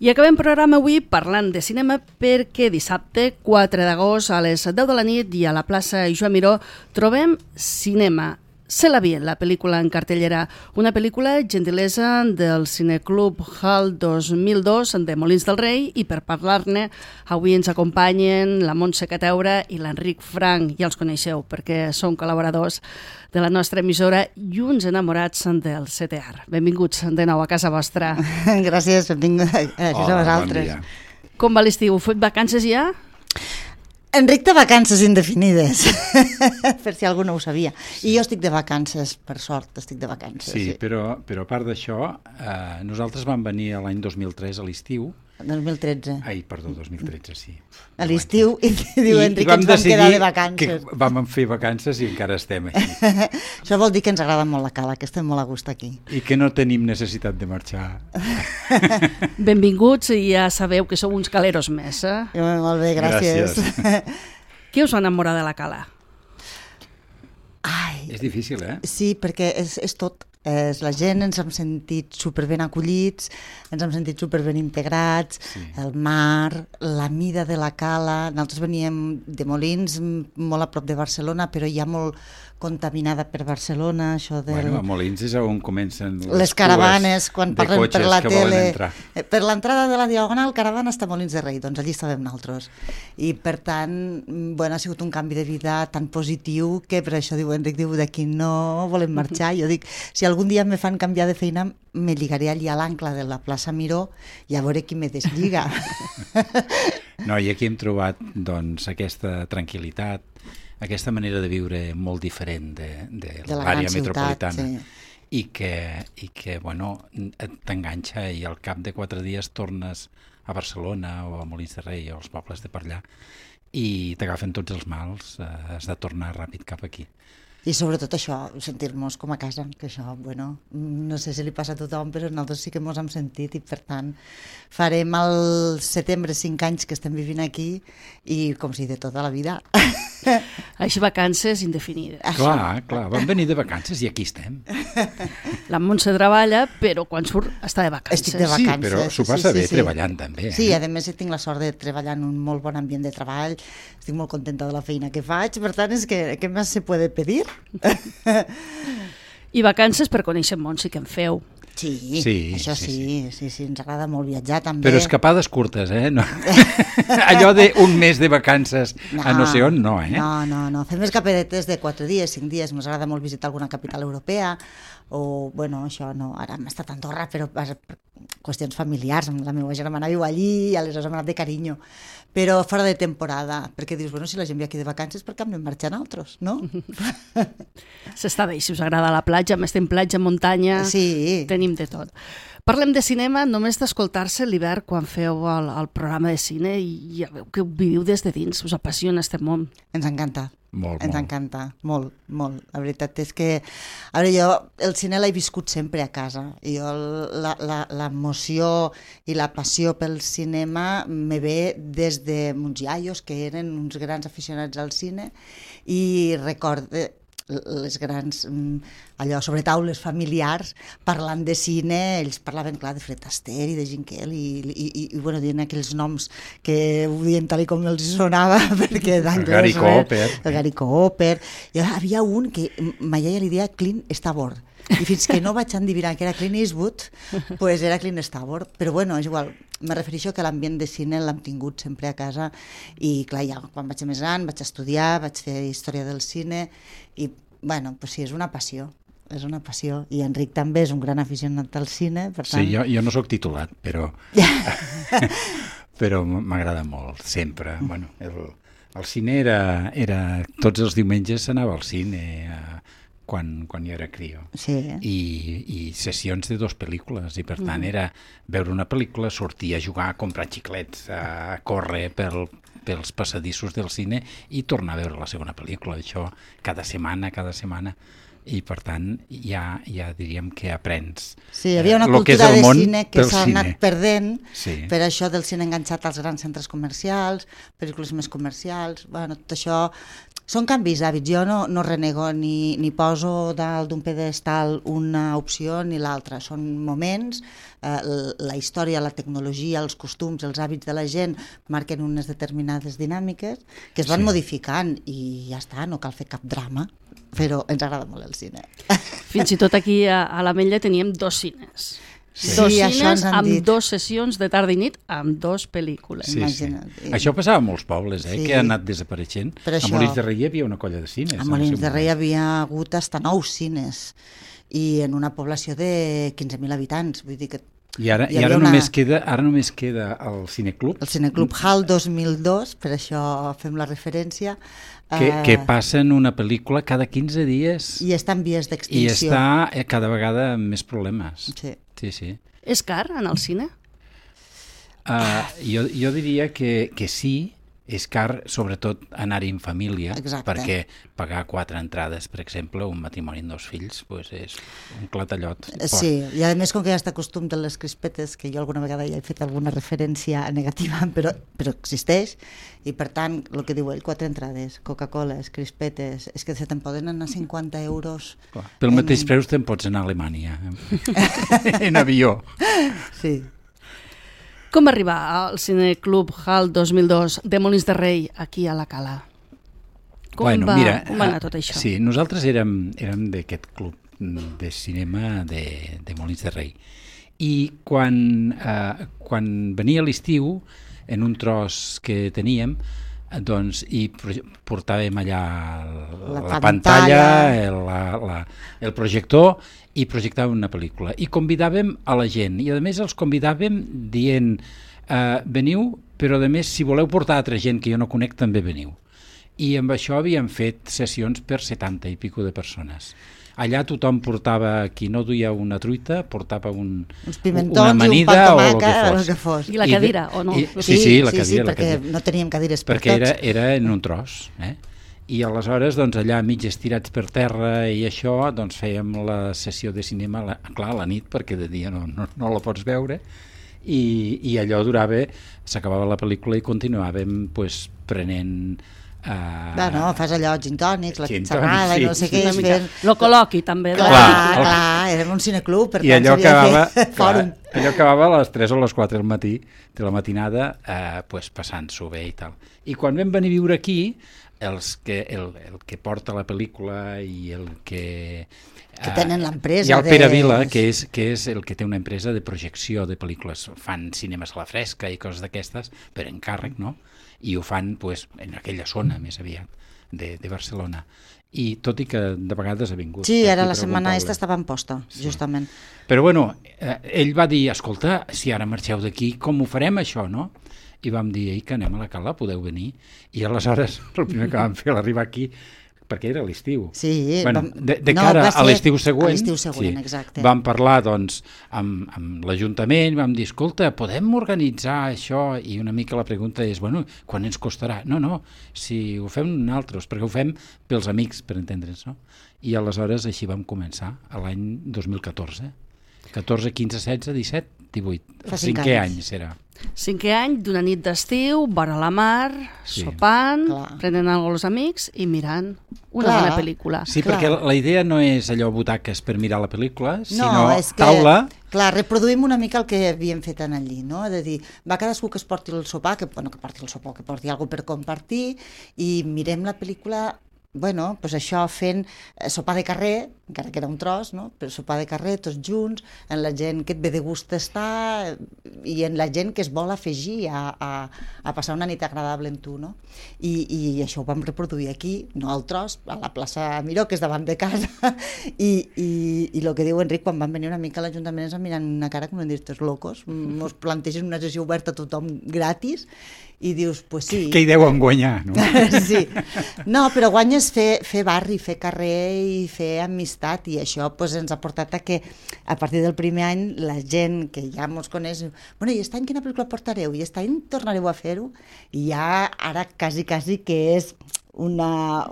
I acabem programa avui parlant de cinema perquè dissabte, 4 d'agost, a les 10 de la nit i a la plaça Joan Miró trobem Cinema. C'est la vie, la pel·lícula en cartellera. Una pel·lícula gentilesa del Cineclub Hall 2002 de Molins del Rei, i per parlar-ne avui ens acompanyen la Montse Cateura i l'Enric Frank. Ja els coneixeu perquè són col·laboradors de la nostra emissora i uns enamorats del CTR. Benvinguts de nou a casa vostra. Gràcies, benvinguts a vosaltres. Bon dia. Com va l'estiu? Fet vacances ja? Enric té vacances indefinides, per si algú no ho sabia. Sí. I jo estic de vacances, per sort, estic de vacances. Sí, però a part d'això, nosaltres vam venir l'any 2003 a l'estiu. 2013. Ai, perdó, 2013, sí. A l'estiu, i diu Enric que ens vam quedar de vacances. Que vam fer vacances i encara estem aquí. Això vol dir que ens agrada molt la cala, que estem molt a gust aquí. I que no tenim necessitat de marxar. Benvinguts, i ja sabeu que sou uns caleros més, eh? Molt bé, gràcies. Què us va enamorar de la cala? Ai, És difícil, eh? sí, perquè és tot. La gent ens hem sentit superben acollits, ens hem sentit superben integrats, sí. El mar, la mida de la cala. Nosaltres veníem de Molins, molt a prop de Barcelona, però ja molt contaminada per Barcelona, això del... Bueno, a Molins és on comencen les caravanes, quan parlem per la tele. Per l'entrada de la Diagonal, caravana està a Molins de Rei, doncs allí estàvem nosaltres. I per tant, bueno, ha sigut un canvi de vida tan positiu que per això diu Enric, diu, d'aquí no volem marxar. Jo dic, si algun dia me fan canviar de feina, me lligaré allí a l'ancle de la plaça Miró i a veure qui me deslliga. No, i aquí hem trobat doncs, aquesta tranquil·litat, aquesta manera de viure molt diferent de l'àrea metropolitana, sí. i que bueno, t'enganxa i al cap de 4 dies tornes a Barcelona o a Molins de Rei o als pobles de per allà i t'agafen tots els mals, has de tornar ràpid cap aquí. I sobretot això, sentir-nos com a casa, que això, bueno, no sé si li passa a tothom, però nosaltres sí que ens hem sentit i per tant farem al setembre 5 anys que estem vivint aquí i com si de tota la vida. Així vacances indefinides. Clar, vam venir de vacances i aquí estem. La Montse treballa, però quan surt està de vacances. Estic de vacances. Sí, però s'ho passa bé treballant també. Sí, a més tinc la sort de treballar en un molt bon ambient de treball, estic molt contenta de la feina que faig, per tant és que què més se puede pedir? I vacances per conèixer el món sí que en feu. Sí, això sí, ens agrada molt viatjar també. Però escapades curtes, eh? No. Allò d'un mes de vacances a no sé on, no, eh? No, fem escapadetes de 4 dies, 5 dies, ens agrada molt visitar alguna capital europea, o, bueno, això no, ara hem estat a Andorra, però per qüestions familiars, la meva germana viu allí, i aleshores hem anat de carinyo, però fora de temporada, perquè dius, bueno, si la gent ve aquí de vacances, per què hem de marxar nosaltres, no? S'està bé, si us agrada la platja, més en platja, muntanya, sí. Tenim de tot. Parlem de cinema, només d'escoltar-se l'hivern quan feu el programa de cine i ja veu que ho viviu des de dins, us apassiona este món. Ens encanta. Ens encanta, molt. La veritat és que, a veure, jo el cine l'he viscut sempre a casa. Jo l'emoció i la passió pel cinema me ve des de mons iaios, que eren uns grans aficionats al cine, i recordo les grans, allò, sobre taules familiars, parlant de cine, ells parlaven, clar, de Fred Astaire i de Gene Kelly i bueno, dient aquells noms que ho diuen tal com els sonava, perquè d'anglès... El Gary Cooper. I havia un que ma iaia li deia Clint Eastwood, i fins que no vaig endivinar que era Clint Eastwood, pues era Clint Eastwood, però bueno, és igual. Me refereixo que l'ambient de cine l'hem tingut sempre a casa i clar, ja quan vaig ser més gran vaig estudiar, vaig fer història del cine i bueno, pues sí, és una passió i Enric també és un gran aficionat al cine, per tant... Sí, jo no sóc titulat, però però m'agrada molt, sempre. Bueno, el cine era tots els diumenges s'anava al cine quan jo era crio, sí. I sessions de 2 pel·lícules, i per tant era veure una pel·lícula, sortir a jugar, a comprar xiclets, a córrer pels passadissos del cine i tornar a veure la segona pel·lícula, això cada setmana, i per tant ja diríem que aprens. Sí, hi havia una cultura de cine que s'ha anat perdent, per això del cine enganxat als grans centres comercials, pel·lícules més comercials, bueno, tot això Són canvis d'hàbits. Jo no renego ni poso dalt d'un pedestal una opció ni l'altra. Són moments, la història, la tecnologia, els costums, els hàbits de la gent marquen unes determinades dinàmiques que es van modificant i ja està, no cal fer cap drama, però ens agrada molt el cine. Fins i tot aquí a l'Ametlla teníem 2 cines. Sí, dos això cines amb dit. 2 sessions de tarda i nit amb 2 pel·lícules. Sí, sí. Això passava a molts pobles, que ha anat desapareixent. A Molins de Rei hi havia una colla de cines. A Molins de Rei hi havia hagut hasta 9 cines i en una població de 15.000 habitants. Vull dir que I ara només queda el Cineclub. El Cineclub HAL 2002, per això fem la referència. Que passen una pel·lícula cada 15 dies. I està en vies d'extinció. I està cada vegada amb més problemes. Sí. Sí. És car anar al cine? Jo diria que sí, és car, sobretot anar-hi en família. Exacte. Perquè pagar 4 entrades, per exemple, un matrimoni amb 2 fills, pues és un clatallot. Sí, i a més com que ja està costum de les crispetes, que jo alguna vegada ja he fet alguna referència negativa, però existeix, i per tant, el que diu ell, 4 entrades, Coca-Coles, crispetes, és que se te'n poden anar 50 euros. Clar, pel mateix preu te'n pots anar a Alemanya, en avió. Sí. Com va arribar al Cineclub HAL 2002 de Molins de Rei aquí a la Cala? Com va anar tot això? Sí, nosaltres érem d'aquest club de cinema de Molins de Rei. I quan venia l'estiu, en un tros que teníem, doncs hi portàvem allà la pantalla, el projector, i projectàvem una pel·lícula. I convidàvem a la gent, i a més els convidàvem dient veniu, però a més si voleu portar altra gent que jo no conec també veniu. I amb això havíem fet sessions per 70 i pico de persones. Allà tothom portava, qui no duia una truita, portava uns pimentons, una amanida o el que fos. I la cadira, o no? Sí, la cadira. Sí, perquè no teníem cadires per tots. Perquè era en un tros, I aleshores, doncs, allà mig estirats per terra i això, doncs fèiem la sessió de cinema, clar, a la nit, perquè de dia no la pots veure, i allò durava, s'acabava la pel·lícula i continuàvem pues, prenent... fas allò, gin tònics, la xerrada i no sé què. Lo col·loqui també. Clar, érem un cineclub, per tant s'havia de fer fòrum. Allò acabava a les 3 o les 4 del matí, de la matinada, passant-s'ho bé i tal. I quan vam venir a viure aquí, el que porta la pel·lícula i el que tenen l'empresa. Hi ha el Pere Vila, que és el que té una empresa de projecció de pel·lícules. Fan cinemes a la fresca i coses d'aquestes, per encàrrec, no? I ho fan pues, en aquella zona, més aviat, de Barcelona. I tot i que de vegades ha vingut... Sí, ara la setmana estava en posta, justament. Però bueno, ell va dir, escolta, si ara marxeu d'aquí, com ho farem això, no? I vam dir, que anem a la Cala, podeu venir? I aleshores, el primer que vam fer l'arribar aquí, perquè era l'estiu. Sí. De cara a l'estiu següent, exacte. Vam parlar doncs, amb l'Ajuntament, vam dir, escolta, podem organitzar això? I una mica la pregunta és, bueno, quan ens costarà? No, si ho fem nosaltres, perquè ho fem pels amics, per entendre'ns, no? I aleshores així vam començar, l'any 2014. 14, 15, 16, 17, 18. Fa 5è any serà. 5è any d'una nit d'estiu, vora la mar, sopant, prenent alguna els amics i mirant una bona pel·lícula. Sí, perquè la idea no és allò butaques per mirar la pel·lícula, sinó taula... Clar, reproduïm una mica el que havíem fet en allí, no? És a dir, va cadascú que es porti el sopar, que porti alguna cosa per compartir, i mirem la pel·lícula... Bueno, doncs això fent sopar de carrer, encara que era un tros, no? Però sopar de carrer, tots junts, en la gent que et ve de gust estar i en la gent que es vol afegir a passar una nit agradable amb tu, no? I això ho vam reproduir aquí, no al tros, a la plaça Miró, que és davant de casa, i el que diu Enric, quan van venir una mica a l'Ajuntament ens van mirar una cara com dir, estos locos, mos plantegen una sessió oberta a tothom gratis, i dius, pues sí. Què hi deuen guanyar, no? Sí. No, però guanyes fer barri, fer carrer i fer amistat, i això pues, ens ha portat a que a partir del primer any la gent que ja ens coneix, bueno, i aquest any quina pel·lícula portareu? I aquest any tornareu a fer-ho? I ja ara quasi que és una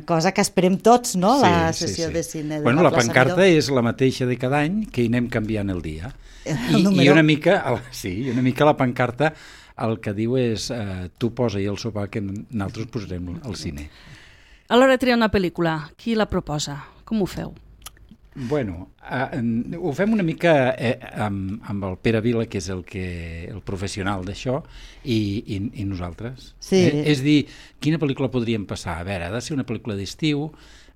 cosa que esperem tots, no? La sessió de cine de la la plaça pancarta Miró. és la mateixa de cada any, que hi anem canviant el dia. I una mica la pancarta el que diu és tu posa-hi el sopar que nosaltres posarem al cine. A l'hora de triar una pel·lícula, qui la proposa? Com ho feu? Bueno, ho fem una mica amb el Pere Vila, que és el professional d'això, i nosaltres. Sí. És dir, quina pel·lícula podríem passar? A veure, ha de ser una pel·lícula d'estiu,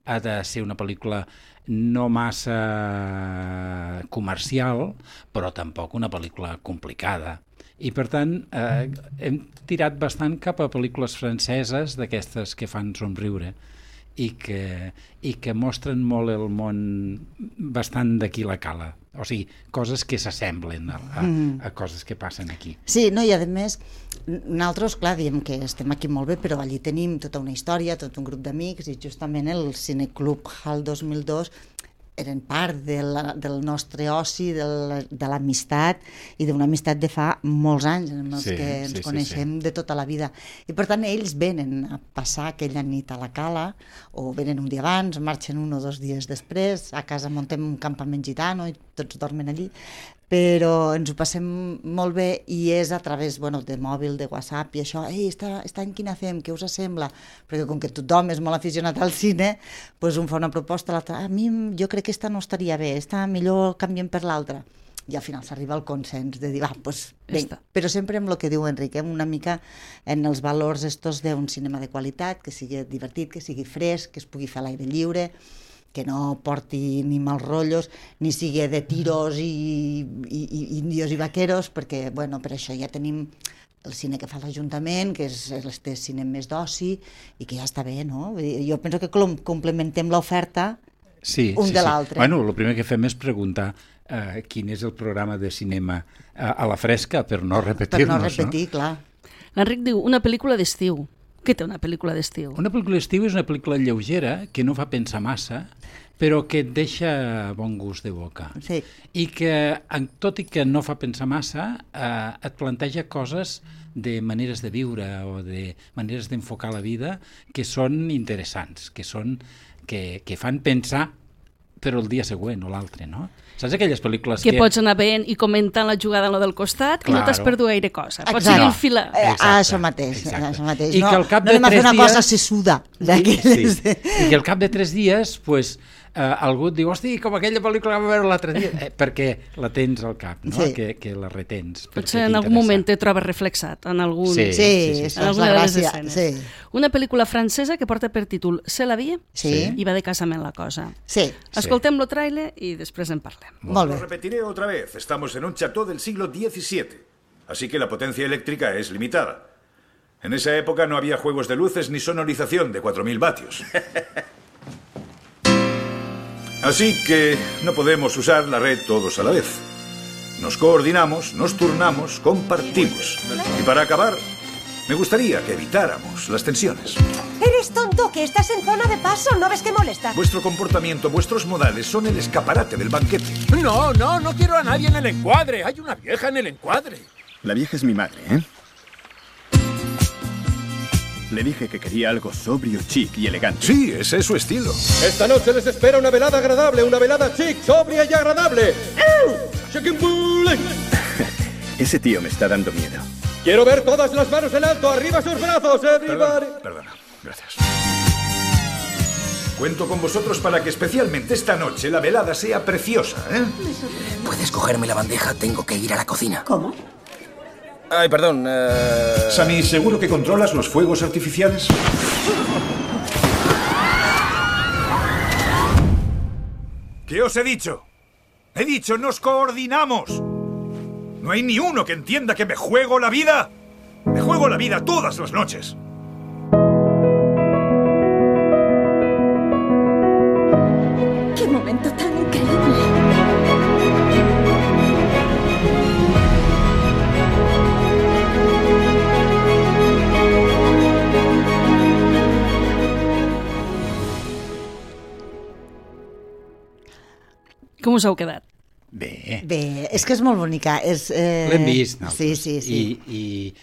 ha de ser una pel·lícula no massa comercial, però tampoc una pel·lícula complicada. I, per tant, hem tirat bastant cap a pel·lícules franceses d'aquestes que fan somriure i que mostren molt el món bastant d'aquí la cala. O sigui, coses que s'assemblen a coses que passen aquí. Sí, no, i a més, nosaltres, clar, diem que estem aquí molt bé, però allí tenim tota una història, tot un grup d'amics, i justament el Cineclub HAL 2002 eren part del nostre oci, de l'amistat, i d'una amistat de fa molts anys, en els que ens coneixem de tota la vida. I per tant ells venen a passar aquella nit a la cala, o venen un dia abans, marxen 1 o 2 dies després, a casa muntem un campament gitano i tots dormen allí, però ens ho passem molt bé i és a través de mòbil, de WhatsApp i això, aquest any quina fem, què us sembla? Perquè com que tothom és molt aficionat al cine, doncs un fa una proposta, l'altre, a mi jo crec que esta no estaria bé, esta millor canviem per l'altra. I al final s'arriba al consens de dir, però sempre amb el que diu Enric, una mica en els valors estos d'un cinema de qualitat, que sigui divertit, que sigui fresc, que es pugui fer a l'aire lliure, que no porti ni mals rotllos, ni sigui de tiros i indios i vaqueros, perquè, per això ja tenim el cine que fa l'Ajuntament, que és este cine més d'oci, i que ja està bé, no? Jo penso que complementem l'oferta de l'altre. Bueno, el primer que fem és preguntar quin és el programa de cinema a la fresca, per no repetir-nos. Per no repetir, clar. L'Enric diu, una pel·lícula d'estiu. Què té una pel·lícula d'estiu? Una pel·lícula d'estiu és una pel·lícula lleugera, que no fa pensar massa, però que et deixa bon gust de boca. Sí. I que, tot i que no fa pensar massa, et planteja coses de maneres de viure o de maneres d'enfocar la vida que són interessants, que fan pensar però el dia següent o l'altre, no? Saps aquelles pel·lícules que pots anar veient i comentant la jugada en la del costat, que no t'has perdut gaire cosa. Pots seguir el fil. Això mateix. I que al cap de 3 dies... No anem a fer una cosa sessuda. I que al cap de 3 dies, algú et diu, hosti, com aquella pel·lícula que vam veure l'altre dia, perquè la tens al cap, no? Que la retens. Potser en algun moment te trobes reflexat en algun... Sí, és la gràcia. Una pel·lícula francesa que porta per títol C'est la vie i va de casament la cosa. Sí. Escoltem el tràiler i després en parlem. Molt bé. Lo repetiré otra vez. Estamos en un chateau del siglo XVII, así que la potencia eléctrica es limitada. En esa época no había juegos de luces ni sonorización de 4.000 vatios. Así que no podemos usar la red todos a la vez. Nos coordinamos, nos turnamos, compartimos. Y para acabar, me gustaría que evitáramos las tensiones. ¿Eres tonto? ¿Que estás en zona de paso? ¿No ves que molesta? Vuestro comportamiento, vuestros modales son el escaparate del banquete. No quiero a nadie en el encuadre. Hay una vieja en el encuadre. La vieja es mi madre, ¿eh? Le dije que quería algo sobrio, chic y elegante. Sí, ese es su estilo. Esta noche les espera una velada agradable, una velada chic, sobria y agradable. Chicken Bullet. Ese tío me está dando miedo. Quiero ver todas las manos en alto, arriba sus brazos, everybody. Perdona, gracias. Cuento con vosotros para que especialmente esta noche la velada sea preciosa, ¿eh? ¿Puedes cogerme la bandeja? Tengo que ir a la cocina. ¿Cómo? Ay, perdón. Sammy, ¿seguro que controlas los fuegos artificiales? ¿Qué os he dicho? He dicho, nos coordinamos. ¿No hay ni uno que entienda que me juego la vida? Me juego la vida todas las noches. ¡Qué momento tan increíble! Com us heu quedat? Bé, és que és molt bonica. L'hem vist. Sí. I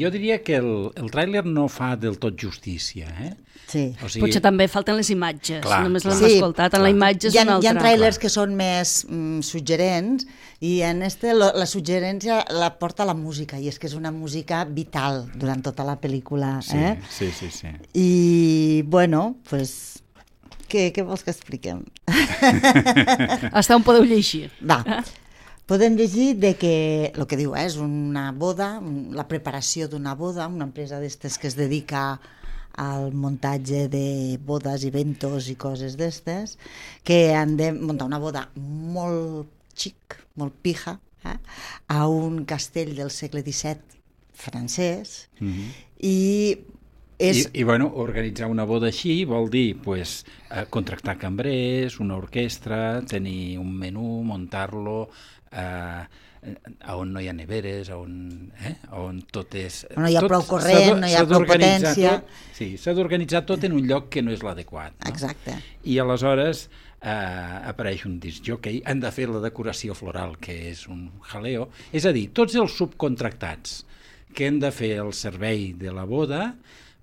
jo diria que el tràiler no fa del tot justícia, Sí. O sigui, potser també falten les imatges, clar, només l'hem clar. escoltat, en la imatge és una altra. Hi ha tràilers que són més suggerents i en la suggerència la porta la música, i és que és una música vital durant tota la pel·lícula. Sí. I, bueno, pues... Què vols que expliquem? Hasta on podeu llegir? Va, podem llegir de que, el que diu, és una boda, la preparació d'una boda, una empresa d'estes que es dedica al muntatge de bodes, eventos i coses d'estes, que han de muntar una boda molt xic, molt pija, a un castell del segle XVII francès, I bueno, organitzar una boda així vol dir contractar cambrers, una orquestra, tenir un menú, muntar-lo, on no hi ha neveres, on tot és... No hi ha prou corrent, no hi ha prou potència... Sí, s'ha d'organitzar tot en un lloc que no és l'adequat. No? Exacte. I aleshores apareix un discjòquei, han de fer la decoració floral, que és un jaleo, és a dir, tots els subcontractats que han de fer el servei de la boda,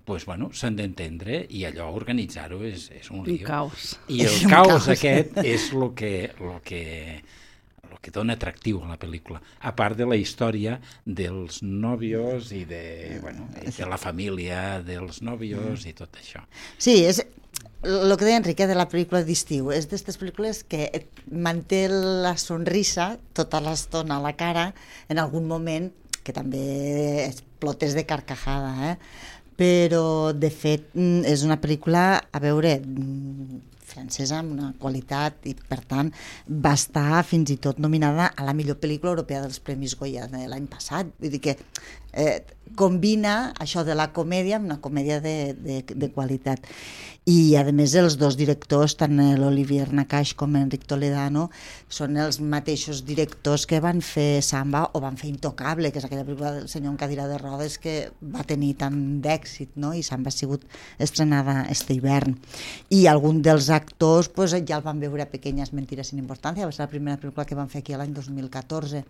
doncs, bueno, s'han d'entendre, i allò, organitzar-ho, és un lío. Un caos. I el caos aquest és el que dona atractiu a la pel·lícula, a part de la història dels nòvios i de la família dels nòvios i tot això. Sí, és el que deia Enrique de la pel·lícula d'estiu, és d'aquestes pel·lícules que et manté la sonrisa tota l'estona a la cara, en algun moment que també explotes de carcajada, però de fet és una pel·lícula, a veure, francesa amb una qualitat, i per tant va estar fins i tot nominada a la millor pel·lícula europea dels Premis Goya de l'any passat. Vull dir que combina això de la comèdia amb una comèdia de qualitat. I a més els dos directors, tant l'Olivier Nakache com Enric Toledano, són els mateixos directors que van fer Samba o van fer Intocable, que és aquella pel·lícula del senyor en cadira de rodes que va tenir tant d'èxit, no? I Samba ha sigut estrenada este hivern. I algun dels actors ja el van veure a Pequeñas mentiras sin importancia, va ser la primera pel·lícula que van fer aquí l'any 2014.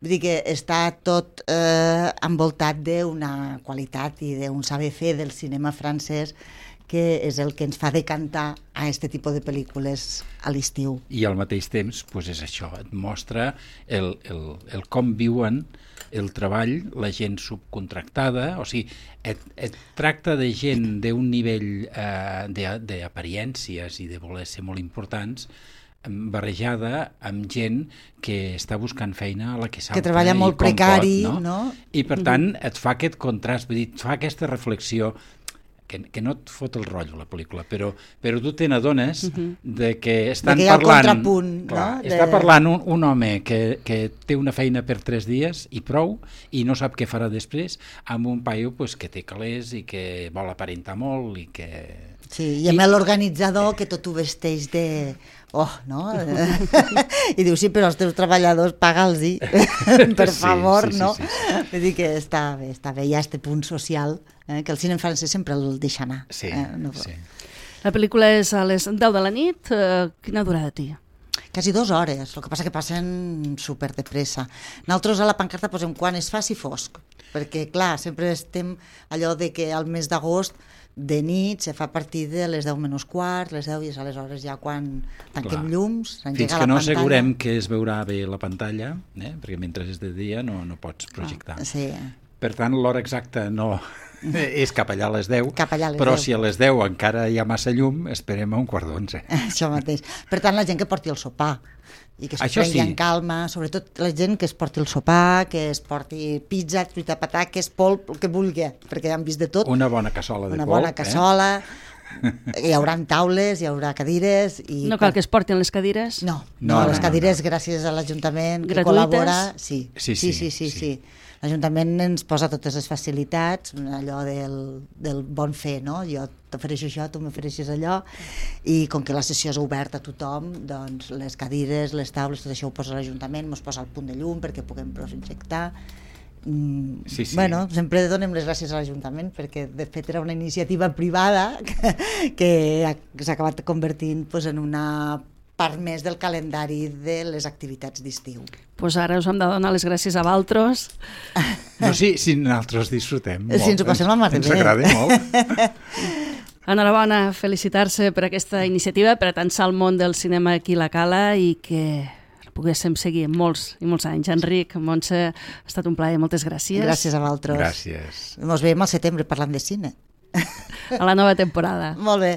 Vull dir que està tot envoltat d'una qualitat i d'un saber fer del cinema francès que és el que ens fa decantar a aquest tipus de pel·lícules a l'estiu. I al mateix temps, és això, et mostra el com viuen el treball, la gent subcontractada, o sigui, et tracta de gent d'un nivell d'apariències i de voler ser molt importants, barrejada amb gent que està buscant feina a la que salta, que treballa molt precari, no? I per tant et fa aquest contrast, vull dir, et fa aquesta reflexió que no et fot el rotllo la pel·lícula, però tu te n'adones de que estan parlant... Està parlant un home que té una feina per 3 dies i prou, i no sap què farà després, amb un paio que té calés i que vol aparentar molt i que... Sí, i amb l'organitzador que tot ho vesteix de... no? I diu, sí, però els teus treballadors paga'ls-hi, per favor, no? Vull dir que està bé, hi ha aquest punt social, que el cinema francès sempre el deixa anar. Sí. La pel·lícula és a les 10 de la nit, quina durada té? Quasi 2 hores, el que passa que passen super de pressa. Nosaltres a la pancarta posem quan es faci fosc, perquè clar, sempre estem allò de que al mes d'agost de nit se fa a partir de les 10 menys quart, les 10, i és aleshores ja quan tanquem llums, fins que no assegurem que es veurà bé la pantalla, perquè mentre és de dia no pots projectar. Sí. Per tant, l'hora exacta no és cap allà a les 10, però 10. Si a les 10 encara hi ha massa llum, esperem a 11:15. Això mateix. Per tant, la gent que porti el sopar i que es prengui en calma, sobretot la gent que es porti el sopar, que es porti pizza, truita de patà, que és polp, el que vulgui, perquè han vist de tot. Una bona cassola de polp. Una bona cassola, hi haurà taules, hi haurà cadires... No cal que es portin les cadires? No, les cadires gràcies a l'Ajuntament que col·labora... Sí. L'Ajuntament ens posa totes les facilitats, allò del bon fer, no? Jo t'ofereixo això, tu m'ofereixes allò, i com que la sessió és oberta a tothom, doncs les cadires, les taules, tot això ho posa l'Ajuntament, ens posa el punt de llum perquè puguem projectar. Bueno, sempre donem les gràcies a l'Ajuntament perquè de fet era una iniciativa privada que s'ha acabat convertint en una part més del calendari de les activitats d'estiu. Pues ara us hem de donar les gràcies a vosaltres. No, sí, si nosaltres disfrutem molt. Si ens ho passem la mar de bé. Ens agrada molt. Enhorabona, felicitar-se per aquesta iniciativa, per atançar el món del cinema aquí a la Cala i que poguéssim seguir molts i molts anys. Enric, Montse, ha estat un plaer, moltes gràcies. Gràcies a vosaltres. Gràcies. Ens veiem al setembre parlant de cine. A la nova temporada. Molt bé.